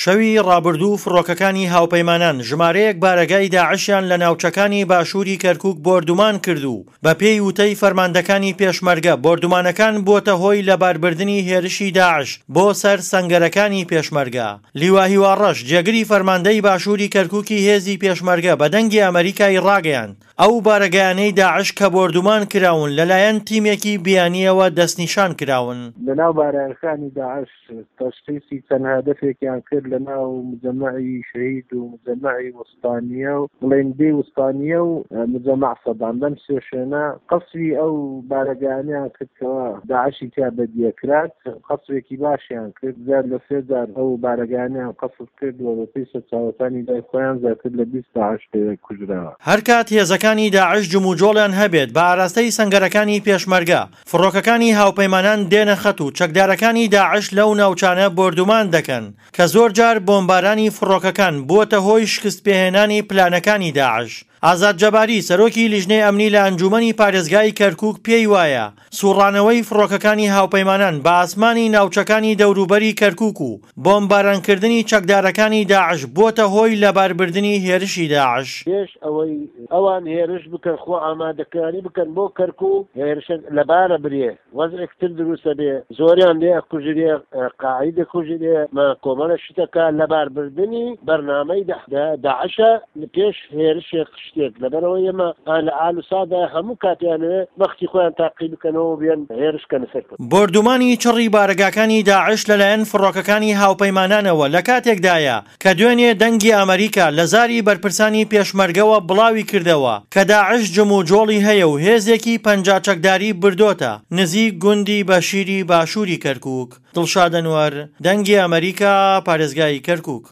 شەوی ڕابردوو فڕۆکەکانی هاوپەیمانان ژمارەیەک بارەگای داعشیان لە ناوچەکانی باشووری کەرکووک بۆردومان کرد و بەپێی وتەی فەرماندەکانی پێشمەرگە بۆردومانەکان بووەتە هۆی لەباربردنی هێرشی داعش بۆ سەر سەنگەرەکانی پێشمەرگە. لیوا هیوا ڕەش، جێگری فەرماندەی باشووری کەرکووکی هێزی پێشمەرگە بە دەنگی ئەمەریکای ڕاگەیاند، ئەو بارەگایانەی داعش کە بۆردومان کراون لەلایەن تیمێکی بیانییەوە دەستنیشان کراون. لەناو بارەگاکانی داعش تەشخیسی چەند هەدەفێکیان کرد لەناو مجەمەعی شەهید و مجەمەعی وستانیە و بڵێن بێ وستانیە و مجەمەع سەدام لەم سێ شوێنە قەسری ئەو بارەگایانیان کرد کەوا داعشی تیا بەدیەکرات قەسرێکی باشیان کرد زیاد لە سێ جار ئەو بارەگایانیان قەسف کرد و بەپێی سەرچاوەکانی لای خۆیان زیاتر لە 20 داعش لەوێ کوژراوە. هەرکات هێزەکانی داعش جموجۆڵیان هەبێت بە ئاراستەی سەنگەرەکانی پێشمەرگە، فڕۆکەکانی هاوپەیمانان دێنە خەت و چەکدارەکانی داعش لەو ناوچانە بۆردومان دەکەن کە زۆرجار بۆمبارانی فڕۆکەکان بووەتە هۆی شکستپێهێنانی پلانەکانی داعش. ئازاد جەباری، سەرۆکی لیژنەی ئەمنی لە ئەنجوومەنی پارێزگای کەرکووک پێی وایە، سووڕانەوەی فڕۆکەکانی هاوپەیمانان بە ئاسمانی ناوچەکانی دەوروبەری کەرکووک و بۆمبارانکردنی چەکدارەکانی داعش بووەتە هۆی لەباربردنی هێرشی داعش. پێش ئەوەی ئەوان هێرش بکەن خۆ ئامادەکاری بکەن بۆ کەرکوک هێرشە لەبارە برێ وەزعێک تر دروستە بێ زۆریان لێ ئەکوژرێ قاعید ئەکوژرێ مە کۆمەڵە شتەکە لەباربردنی بەرنامەی داعشە پێش هێرشێک شتێک لەبەرئەوە ئێمە لە ئال و سادا هەموو کاتیانەوێ بەختی خۆیان تاقی بکەنەوە و بێن هێرش کەنە سەر کورد. بۆردومانی چڕی بارەگاکانی داعش لەلایەن فڕۆکەکانی هاوپەیمانانەوە لە کاتێکدایە کە دوێنێ دەنگی ئەمەریکا لە زاری بەرپرسانی پێشمەرگەوە بڵاوی کردەوە کە داعش جموجۆڵی هەیە و هێزێکی 50 چەکداری بردۆتە نزیک گوندی بەشیری باشووری کەرکوک. دڵشاد ئەنوەر، دەنگی ئەمەریکا، پارێزگای کەرکوک.